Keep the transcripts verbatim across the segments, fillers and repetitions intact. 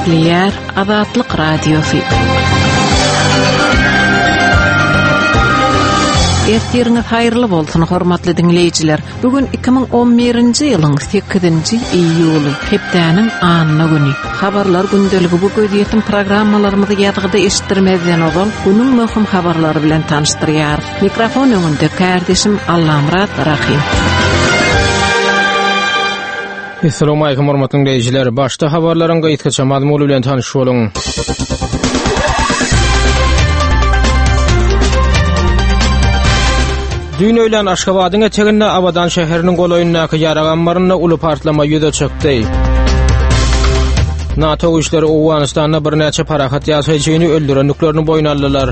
Gepleýär Azatlyk Radiosy. Ertiriňiz haýyrly bolsun, hormatly diňleýjiler. Bu gün iki müň on birinji ýylyň sekizinji iýuly, hepdäniň anna güni. Habarlar gündeligi bu gözýetim programmalarymyzy ýazgyda eşitdirmezden ozal günüň möhüm habarlary bilen tanyşdyrýar. Mikrofon öňünde kardeşim Allamyrat Rahim. Assalamu alaykum hormatly dinleýjiler. Başda habarlaryň gysgaça mazmuny bilen tanyş boluň. Dün öýlän Aşgabadyň eteginde Abadan şäheriniň golaýyndaky ýarag ammarynda uly partlama ýüze çykdy. NATO güýçleri Owganystanda birnäçe parahat ýaşaýjyny öldürendiklerini boýun aldylar.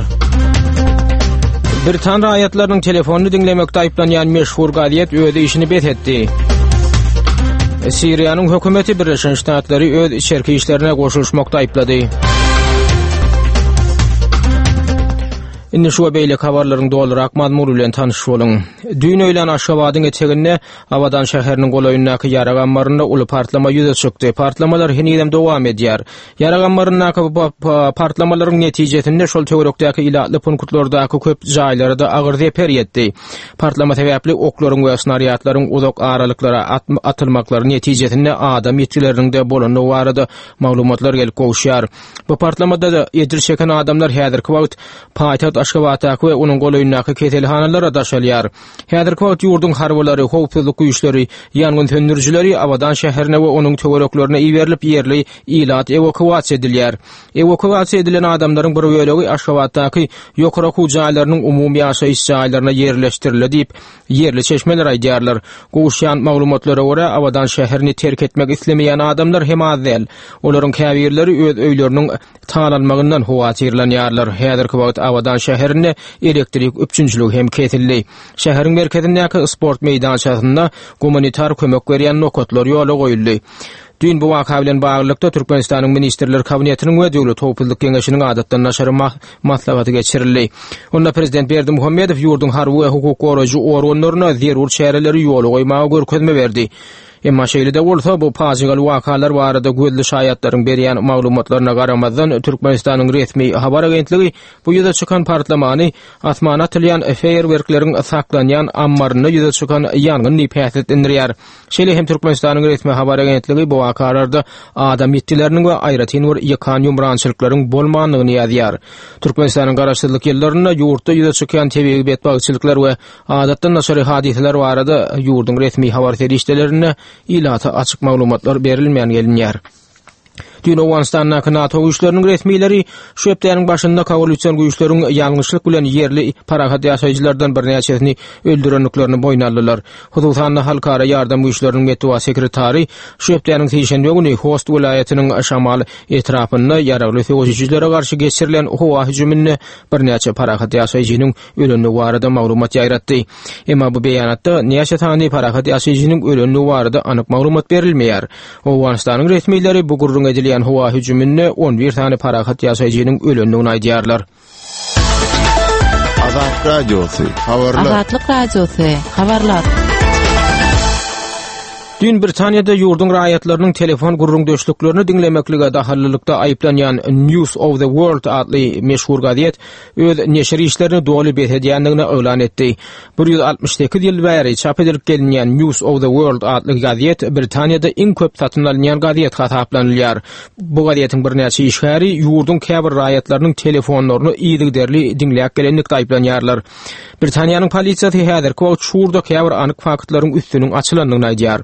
Britan raýatlarynyň telefonyny diňlemekde aýyplanýan meşhur gazet öz işini bes etdi. Siriýanyň hökümeti Birleşen Ştatlary öz içerki işlerine goşulyşmakda aýyplady. Indi şu we beýleki habarlaryň dolurak mazmuny bilen tanyş boluň. Dün öýlän Aşgabadyň eteginde Abadan şäheriniň golaýyndaky ýarag ammarynda uly partlama ýüze çykdy. Partlamalar henizem dowam edýär. Ýarag ammaryndaky partlamalaryň netijesinde şol töwerekdäki ilatly punktlardaky köp jaýlara da agyr zeper ýetdi. Partlama sebäpli oklaryň we snaryatlaryň uzak aralyklara atylmaklary netijesinde adam ýitgileriniň de bolandygy barada maglumatlar gelip gowuşýar. Bu partlamada da ejir çeken adamlar häzirki wagt paýtagt Aşgabatdaky we onuň golaýyndaky keselhanalara daşalýar. Häzirki wagt ýurduň harbylary, howpsuzlyk güýçleri, ýangyn söndürijileri Abadan şäherine we onuň töwereklerine iberilip ýerli ilat ewakuasiýa edilýär. Ewakuasiýa edilen adamlaryň bir bölegi Aşgabatdaky ýokary okuw jaýlarynyň umumy ýaşaýyş jaýlaryna ýerleşdirildi diýip ýerli çeşmeler aýdýarlar. Gowuşýan maglumatlara görä Abadan şäherini terk etmek islemeýän adamlar hem az däl. Olaryň käbirleri öz öýleriniň talanmagyndan howatyrlanýarlar. Häzirki wagt Abadan şäherinde elektrik üpjünçiligi hem kesildi. Şäheriň merkezindäki sport meýdançasynda gumanitar kömek berýän nokatlar ýola goýuldy. Dün bu waka bilen baglylykda Türkmenistanyň Ministrler Kabinetiniň we Döwlet Howpsuzlyk Geňeşiniň adatdan daşary maslahaty geçirildi. Onda Prezident Berdimuhamedow ýurduň harby we hukuk goraýjy organlaryna zerur çäreleri ýola goýmaga görkezme berdi. Emma şeýle-de bolsa bu pajygaly wakalar barada gözli şaýatlaryň berýän maglumatlaryna garamazdan Türkmenistanyň resmi habar agentligi bu ýüze çykan partlamany asmana atylýan feýerwerkleriň saklanýan ammarynda ýüze çykan ýangyn diýip häsiýetlendirýär. Şeýle hem Türkmenistanyň resmi habar agentligi bu wakalarda adam ýitgileriniň we aýratyn bir ýykan ýumrançylyklaryň bolmandygyny ýazýar. Türkmenistanyň garaşsyzlyk ýyllarynda ýurtda ýüze çykýan tebigy betbagtçylyklar we adatdan daşary hadysalar barada ýurduň resmi habar serişdelerinde ilata açyk maglumatlar berilmän gelinýär. Dün Owganystandaky NATO güýçleriniň resmileri şu hepdäniň başynda koalisyon güýçleriň ýalňyşlyk bilen ýerli parahat ýaşaýjylardan birnäçesini öldürendiklerini boýun aldylar. Hususan-da halkara ýardam güýçleriniň metbugat sekretary şu hepdäniň sişenbe güni Host welaýatynyň Şamal etrapynda ýaragly söweşijilere garşy geçirilen howa hüjüminde birnäçe parahat ýaşaýjynyň ölendigi barada maglumat ýaýratdy. Emma bu beýanatda näçe sany parahat ýaşaýjynyň ölendigi barada anyk maglumat berilmeýär. Owganystanyň resmileri bu gürrüň edilýän howa hüjüminde on bir sany parahat ýaşaýjynyň ölendigini aýdýarlar. Azat Radiosy, habarlar. Azatlyk Radiosy, habarlar. Dün Britaniýada ýurduň raýatlarynyň telefon gürrüňdeşliklerini diňlemeklige dahallylykda aýyplanýan News of the World atly meşhur gazet öz neşir işlerini doly bes edýändigini yglan etdi. bir ýüz altmyş sekiz ýyl bäri çap edilip gelinýän News of the World atly gazet Britaniýada iň köp satyn alynýan gazet hasaplanylýar. Bu gazetiň birnäçe işgäri ýurduň käbir raýatlarynyň telefonlaryny yzygiderli diňläp gelenlikde aýyplanýarlar. Britaniýanyň polisiýasy häzirki wagt şurda käbir anyk faktlaryň üstüniň açylandygyny aýdýar.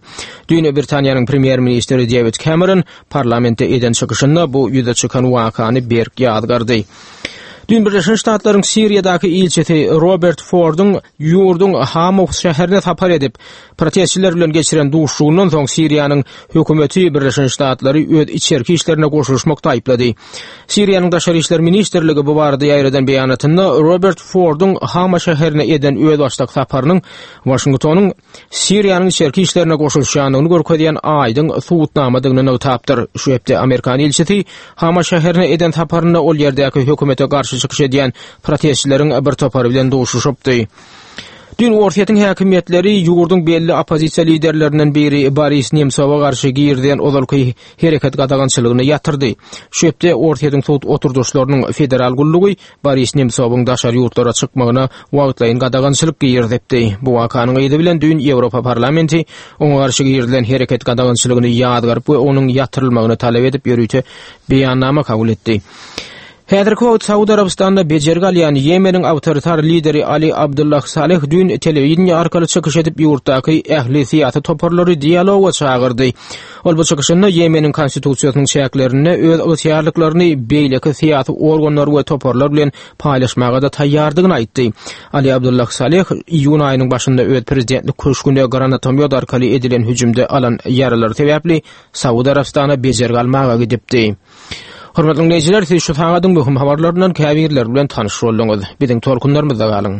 Dün Britaniýanyň premýer-ministri David Cameron parlamentde eden çykyşynda bu ýüze çykan wakany berk ýazgardy. Dün Birleşen Ştatlaryň Siriýadaky ilçisi Robert Forduň ýurduň Hamow şäherine sapar edip, protestçiler bilen geçiren duşuşygyndan soň Siriýanyň hökümeti Birleşen Ştatlary öz içerki işlerine goşulyşmakda aýyplady. Siriýanyň Daşary işler ministrligi bu barada ýaýradan beýanatynda Robert Forduň Hama şäherine eden özbaşdak saparynyň Washingtonyň Siriýanyň içerki işlerine goşulyşýandygyny görkezýän aýdyň subutnamadygyny nygtapdyr. Şu hepde Amerikan ilçisi Hama şäherine eden saparynda ol ýerdäki hökümete garşy çykyş edýän protestçileriň bir topary bilen duşuşypdy. Dün Orsýetiň häkimiýetleri ýurduň belli oppozisiýa liderlerinden biri Boris Nemsowa garşy girizilen ozalky hereket gadagançylygyny ýatyrdy. Şu hepde Orsýetiň sud oturdyşlarynyň federal gullugy Boris Nemsowyň daşary ýurtlara çykmagyna wagtlaýyn gadagançylyk girizipdi. Bu wakanyň yzy bilen düýn Ýewropa parlamenti oňa garşy girizilen hereket gadagançylygyny ýazgaryp we onuň ýatyrylmagyny talap edip ýörite beýannama kabul etdi. Häzirki wagt Saud Arabystanda bejergi alýan Ýemeniň awtoritar lideri Ali Abdullah Saleh düýn telewideniýe arkaly çykyş edip ýurtdaky ähli syýasy toparlary dialoga çagyrdy. Ol bu çykyşynda Ýemeniň konstitusiýasynyň çäklerinde öz ygtyýarlyklaryny beýleki syýasy organlar we toparlar bilen paýlaşmaga-da taýýardygyny aýtdy. Ali Abdullah Saleh iýun aýynyň başynda öz prezidentlik köşgüne granatomýot arkaly edilen hüjümde alan ýaralary sebäpli Saud Arabystana bejergi almaga gidipdi. Hormatly dinleýjiler, siz şu sagadyň möhüm habarlaryndan käbirleri bilen tanyş bolduňyz. Biziň tolkunlarymyzda galyň.